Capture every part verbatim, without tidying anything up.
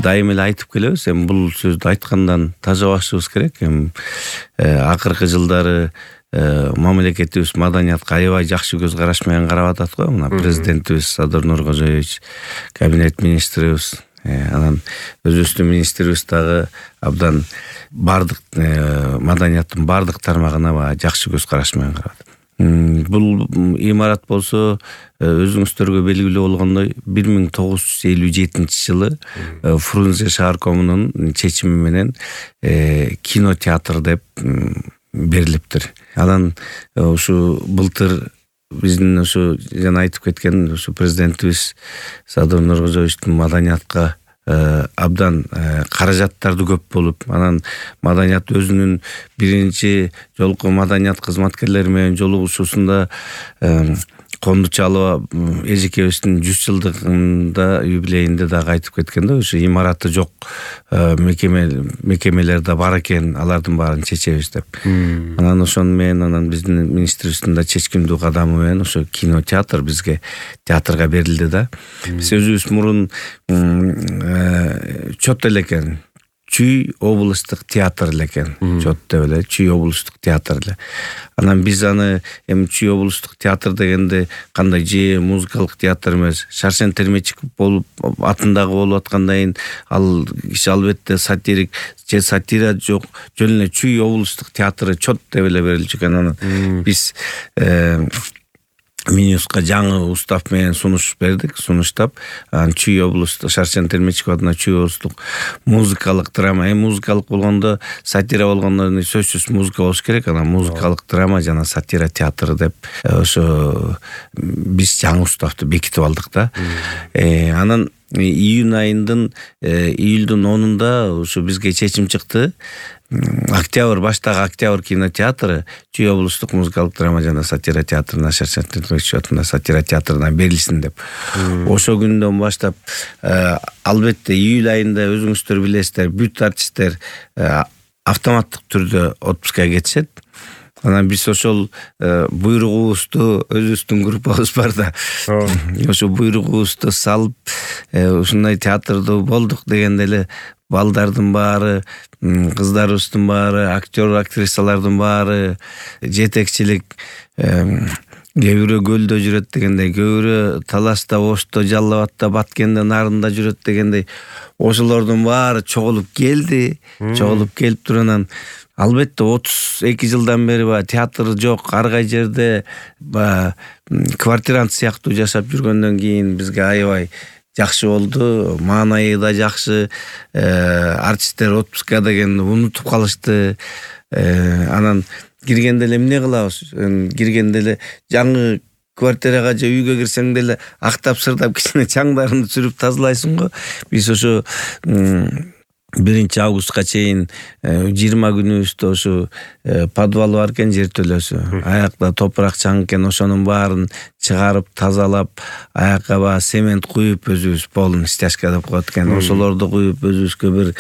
дайым эле айтып келебиз. Эми бул сөздү айткандан тажабашыбыз керек. Эми акыркы жылдары мамлекетибиз маданиятка аябай жакшы көз караш менен карап атат го. Мына президентибиз Садыр Нуркожоевич, кабинет министрибиз, анан өзүбүздүн министрибиз дагы абдан бардык маданияттын бардык тармагына баягы жакшы көз караш менен карап атат. Бул имарат болсо өзүңүздөргө белгилүү болгондой бир миң тогуз жүз элүү жетинчи жылы Фрунзе шаар комунунун чечими менен кинотеатр деп берилиптир. Анан ушу былтыр биздин ушу жана айтып кеткен ушу президентибиз Садыр Нуркожоевичтин маданиятка абдан каражаттарды көп болуп, анан маданият өзүнүн биринчи жолку маданият кызматкерлери менен жолугушуусунда Кондучалова эжекебиздин жүз жылдыгында юбилейинде дагы айтып кеткен да, ушу имараты жок мекеме мекемелер да бар экен, алардын баарын чечебиз деп. Анан ошону менен анан биздин министрибиздин да чечкиндүү кадамы менен ошо кинотеатр бизге театрга берилди да. Биз өзүбүз мурун чот элекен, Чүй облустук театр элекен, чот деп эле Чүй облустук театр эле. Анан биз аны эми Чүй облустук театр дегенде кандай же музыкалык театр эмес, Шаршен Термечиков болуп атындагы болуп аткандан кийин ал киши албетте сатирик же сатира жок, жөн эле Чүй облустук театры чот деп эле берилчү экен. Анан биз Минюска жаңы устав менен сунуш бердик, сунуштап, Чүй облустук Шаршен Термечиков атына Чүй облустук музыкалык драма, эми музыкалык болгондо, сатира болгондо сөзсүз музыка болуш керек, анан музыкалык драма жана сатира театры деп ошо биз жаңы уставды бекитип алдык да. Анан июнь айындын июлдун онунда ушу бизге чечим чыкты. Октябрь, баштагы Октябрь кинотеатры Чүй облустук музыкалык драма жана сатира театрына, Шаршен Термечиков атына сатира театрына берилсин деп. Ошо күндөн баштап албетте июль айында өзүңүздөр билесиздер, бүт артисттер автоматтык түрдө отпускка кетишет. Анан биз ошол буйругубузду, өзүбүздүн группабыз бар да, ошо буйругубузду салып, ушундай театрда болдук дегенде эле балдардын баары, кыздарыбыздын баары, актер, актрисалардын баары, жетекчилик, кээ бирөө көлдө жүрөт дегендей, кээ бирөө Таласта, Ошто, Жалал Абадта, Баткенде, Нарында жүрөт дегендей, ошолордун баары чогулуп келди, чогулуп келип турганан албетте отуз эки жылдан бери баягы театр жок, ар кай жерде баягы квартирант сыяктуу жашап жүргөндөн кийин бизге аябай жакшы болду, маанайы да жакшы, артисттер отпуска дегенди унутуп калышты. Анан киргенде эле эмне кылабыз? Киргенде эле жаңы квартирага же үйгө кирсең деле актап сырдап кичине чаңдарын сүрүп тазалайсың го. Биз ошо биринчи августка чейин жыйырма күнүбүздө ошо подвал бар экен, жер төлөсү. Аякта топурак чаң экен, ошонун баарын чыгарып, тазалап, аякка баа цемент куюп өзүбүз полный стяжка деп коет экен. Ошолорду куюп өзүбүзгө бир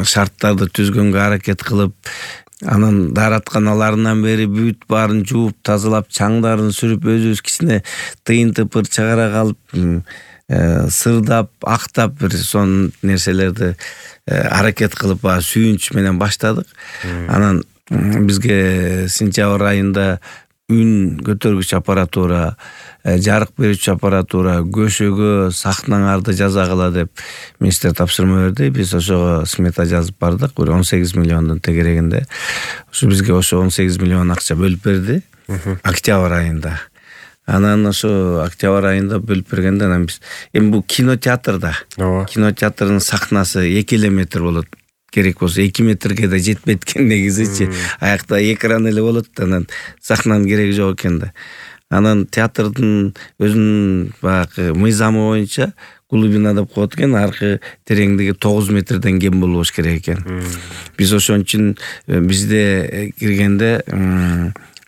шарттарды түзгөнгө аракет кылып, анан дааратканаларынан бери бүт баарын жууп, тазалап, чаңдарын сүрүп, өзүбүз кичине тыйын тыпыр чыгара калып, сырдап, актап бир сон нерселерди аракет кылып сүйүнч менен баштадык. Анан бизге сентябрь айында үн көтөргүч аппаратура, жарык берүүчү аппаратура, көшөгө, сахналарды жасагыла деп министр тапшырма берди. Биз ошого смета жазып бардык, бир он сегиз миллиондун тегерегинде. Ошо бизге ошо он сегиз миллион акча бөлүп берди октябрь айында. Анан ошо октябрь айында бөлүп бергенде анан биз эми бул кинотеатрда, кинотеатрдын сахнасы эки эле метр болот. Керек болсо эки метрге да жетпейт экен негизичи. Аякта экран эле болот, анан сахнанын кереги жок экен да. Анан театрдын өзүнүн баягы мыйзамы боюнча глубина деп коет экен, аркы тереңдиги тогуз метрден кем болбош керек экен. Биз ошон үчүн бизде киргенде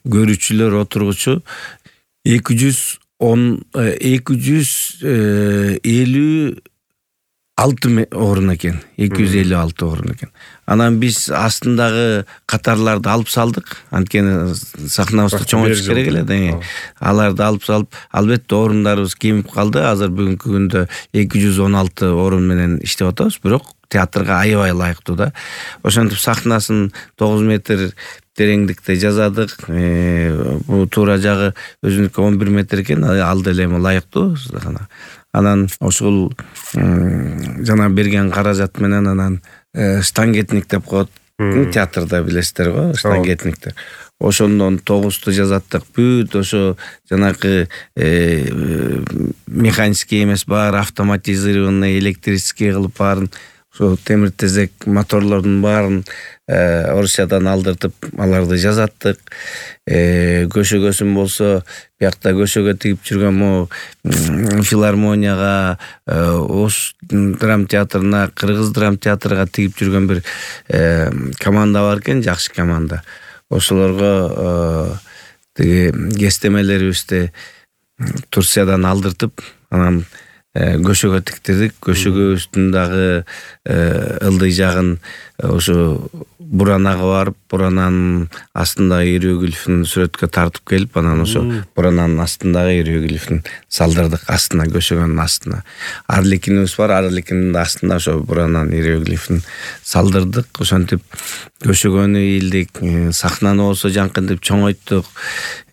көрүүчүлөр отургучу эки жүз он эки жүз элүү алты орун экен. эки жүз элүү алты орун экен. Анан биз астындагы катарларды алып салдык. Анткени сахнабызды чоңойтуш керек эле да. Аларды алып салып, албетте орундарыбыз кемип калды. Азыр бүгүнкү күндө эки жүз он алты орун менен иштеп атабыз, бирок театрга аябай ылайыктуу да. Ошентип сахнасын тогуз метр тереңдикте жасадык. Бул туура жагы өзүнүкү он бир метр экен, ал деле эми ылайыктуу. Анан ошол жана берген каражат менен анан штангетник деп коет. Театрда билесиздер го, штангетниктер. Ошондон тогузду жасаттык. Бүт ошо жанакы механический эмес, баары автоматизированный, электрический кылып баарын, ошо темир тезек моторлордун баарын Орусиядан алдыртып аларды жасаттык. Көшөгөсүн болсо, биякта көшөгө тигип жүргөн могу филармонияга, Ош драм театрына, Кыргыз драм театрга тигип жүргөн бир команда бар экен, жакшы команда. Ошолорго тиги кестемелерибизди Турциядан алдыртып, анан көшөгө тиктирдик. Көшөгөбүздүн дагы ылдый жагын ошо буранага барып, бурананын астындагы иероглифин сүрөткө тартып келип, анан ошо бурананын астындагы иероглифин салдырдык астына, көшөгөнүн астына. Арликинибиз бар, арликиндин астына ошо бурананын иероглифин салдырдык. Ошентип көшөгөнү ийилдик, сахнаны болсо жаңкынтип чоңойттук.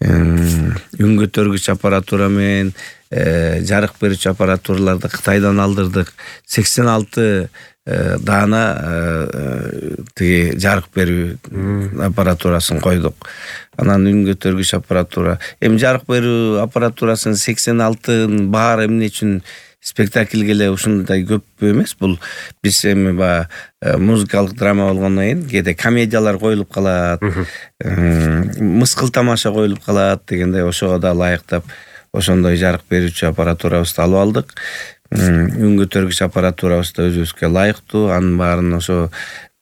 Үн көтөргүч аппаратура менен жарык берүүчү аппаратураларды Кытайдан алдырдык. сексен алты даана тиги жарык берүү аппаратурасын койдук. Анан үн көтөргүч аппаратура. Эми жарык берүү аппаратурасын сексен алтынын баары эмне үчүн спектакльге эле ушундай көп эмес. Бул биз эми баягы музыкалык драма болгондон кийин кээде комедиялар коюлуп калат, мыскыл тамаша коюлуп калат дегендей, ошого да ылайыктап ошондой жарык берүүчү аппаратурабызды алып алдык. Үн көтөргүч аппаратурабызды өзүбүзгө ылайыктуу, анын баарын ошо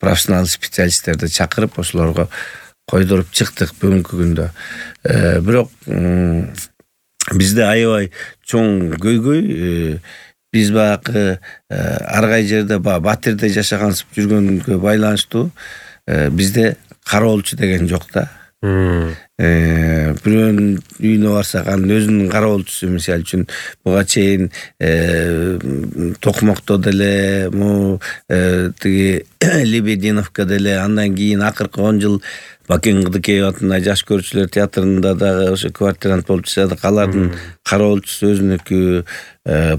профессионал специалисттерди чакырып, ошолорго койдуруп чыктык бүгүнкү күндө. Бирок бизде аябай чоң көйгөй, биз баягы ар кай жерде баягы Батирде жашагансып жүргөнгө байланыштуу бизде кароолчу деген жок да. Бирөөнүн үйүнө барсак, анын өзүнүн кароолчусу, мисалы үчүн буга чейин Токмокто деле, му тиги Лебединовка деле, андан кийин акыркы он жыл Бакен Кыдыкеев атында жаш көрүүчүлөр театрында дагы ошо квартирант болуп жашадык. Алардын кароолчусу өзүнүкү,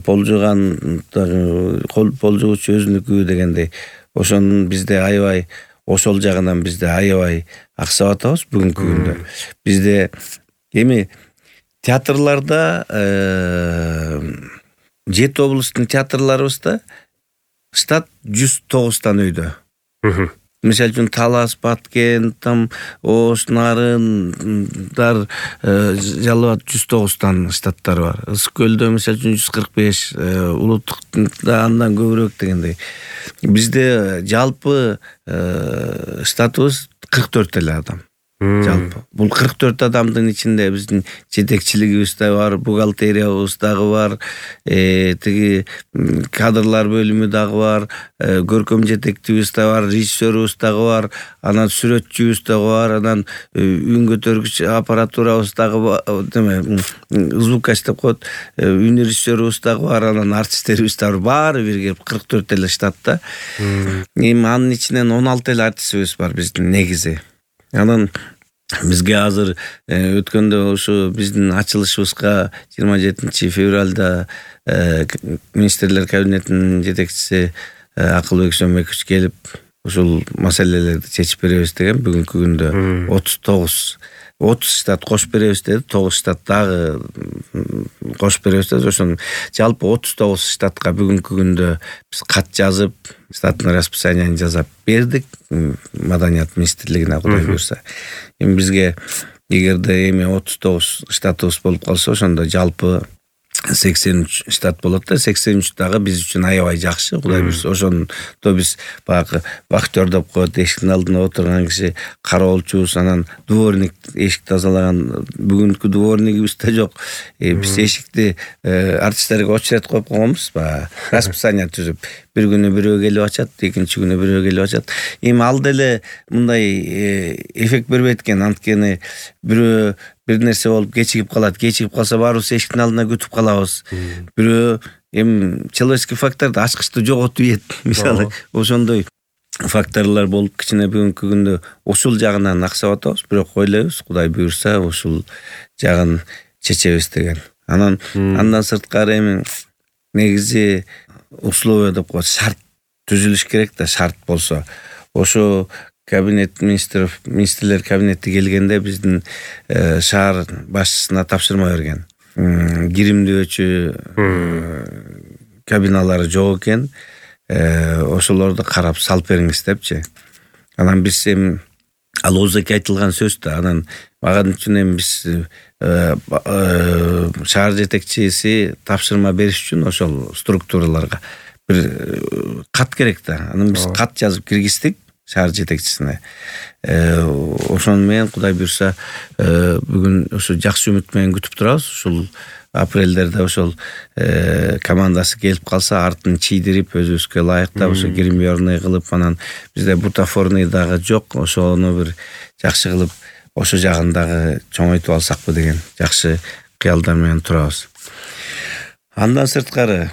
полжуган полжугучу өзүнүкү дегендей. Ошонун бизде аябай, ошол жагынан бизде аябай аксап атабыз бүгүнкү күндө. Бизде эми театрларда жети облустун театрларыбызда штат жүз тогуздан өйдө. Мисалы үчүн Талас, Баткен, там Ош, Нарындар, Жалал абад жүз тогуздан штаттар бар. Ысык көлдө мисалы үчүн жүз кырк беш, Улуттукта андан көбүрөөк дегендей. Бизде жалпы штатыбыз кырк төрт эле адам. Жалпы. Бул кырк төрт адамдын ичинде биздин жетекчилигибиз да бар, бухгалтериябыз дагы бар, тиги кадрлар бөлүмү дагы бар, көркөм жетектибиз да бар, режиссерыбыз дагы бар, анан сүрөтчүбүз дагы бар, анан үн көтөргүч аппаратурабыз дагы бар, деме, звукач деп коет, үн режиссерыбыз дагы бар, анан артисттерибиз дагы бар, бир кырк төрт эле штатта. Эми анын ичинен он алты эле артистибиз бар биздин негизи. Анан бизге азыр өткөндө ошо биздин ачылышыбызга жыйырма жетинчи февралда министрлер кабинетинин жетекчиси Акылбек Сөнбекович келип, ушул маселелерди чечип беребиз деген, бүгүнкү күндө отуз тогуз отуз штат кошуп беребиз деди, тогуз штат дагы кошуп беребиз деди. Ошон жалпы отуз тогуз штатка бүгүнкү күндө биз кат жазып, штаттын расписаниясын жасап бердик Маданият министрлигине, Кудай буйрса. Эми бизге эгерде эми отуз тогуз штатыбыз болуп калса, ошондо жалпы сексен үч штат болот да, сексен үч дагы биз үчүн аябай жакшы. Кудай буйрса ошондо биз баягы вахтер деп коет, эшиктин алдында отурган киши, кароолчубуз, анан дворник эшик тазалаган. Бүгүнкү дворнигибиз да жок. Биз эшикти артисттерге очередь коюп койгонбуз, баягы расписание түзүп. Бир күнү бирөө келип ачат, экинчи күнү бирөө келип ачат. Эми ал деле мындай эффект бербейт экен, анткени бирөө бир нерсе болуп кечигип калат, кечигип калса баарыбыз эшиктин алдында күтүп калабыз. Бирөө эми человеческий факторду ачкычты жоготуп ийет. Мисалы, ошондой факторлор болуп кичине бүгүнкү күндө ушул жагынан аксап атабыз, бирок ойлойбуз, Кудай буйрса ушул жагын чечебиз деген. Анан андан сырткары эми негизи условия деп коет, шарт түзүлүш керек да, шарт болсо. Ошо кабинет министров, министрлер кабинети келгенде биздин шаар башчысына тапшырма берген. Киримдөөчү кабиналары жок экен. Ошолорду карап салып бериңиз депчи. Анан биз эми ал ооздоки айтылган сөз да. Анан ага үчүн эми биз шаар жетекчиси тапшырма бериш үчүн ошол структураларга бир кат керек да. Анан биз кат жазып киргиздик шаар жетекчисине. Ошону менен Кудай буйрса бүгүн ошо жакшы үмүт менен күтүп турабыз. Ушул апрелдерде ошол командасы келип калса, артын чийдирип, өзүбүзгө ылайыктап ошо гримерный кылып, анан бизде бутафорный дагы жок, ошону бир жакшы кылып ошо жагын дагы чоңойтуп алсакпы деген жакшы кыялдар менен турабыз. Андан сырткары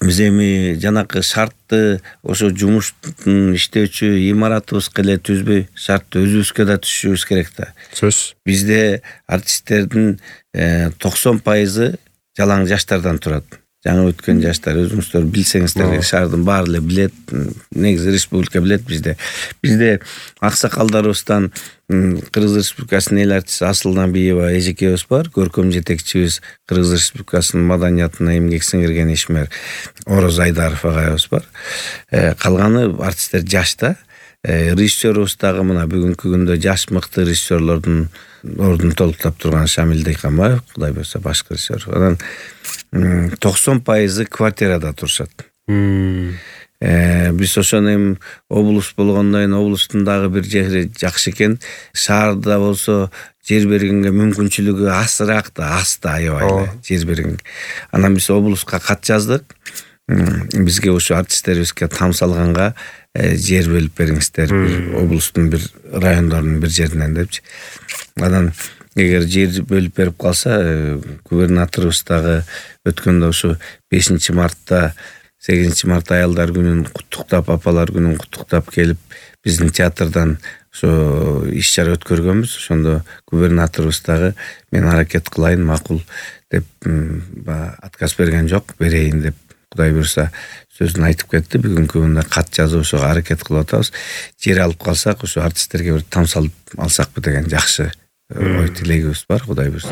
биз эми жанакы шартты ошо жумуштун иштөөчү имаратыбызга эле түзбөй, шартты өзүбүзгө да түзүшүбүз керек да. Сөз. Бизде артисттердин токсон пайызы жалаң жаштардан турат. Жаңы өткөн жаштар, өзүңүздөр билсеңиздер керек, шаардын баары эле билет, негизи республика билет бизде. Бизде аксакалдарыбыздан Кыргыз Республикасынын эл артисти Асыл Набиева эжекебиз бар, көркөм жетекчибиз Кыргыз Республикасынын маданиятына эмгек сиңирген ишмер Ороз Айдаров агайыбыз бар. Калганы артисттер жашта. Режиссерубуз дагы мына бүгүнкү күндө жаш мыкты режиссерлордун ордун толуктап турган Шамил Дыйканбаев, Кудай буйрса башкы режиссер. Анан токсон пайызы квартирада турушат. Биз ошону эми облус болгондон кийин облустун дагы бир жери жакшы экен. Шаарда болсо жер бергенге мүмкүнчүлүгү азыраак да, аз да аябай эле жер берген. Анан биз облуска кат жаздык. Бизге ошо артисттерибизге там салганга жер бөлүп бериңиздер, бир облустун бир райондорунун бир жеринен депчи. Анан эгер жер бөлүп берип калса, губернаторубуз дагы өткөндө ошо бешинчи мартта сегизинчи март аялдар күнүн куттуктап, апалар күнүн куттуктап келип, биздин театрдан ошо иш чара өткөргөнбүз. Ошондо губернаторубуз дагы мен аракет кылайын, макул деп отказ берген жок, берейин деп Кудай буйрса сөзүн айтып кетти. Бүгүнкү күндө кат жазып ошого аракет кылып атабыз. Жер алып калсак, ошо артисттерге бир там салып алсакпы деген жакшы ой тилегибиз бар, Кудай буйрса.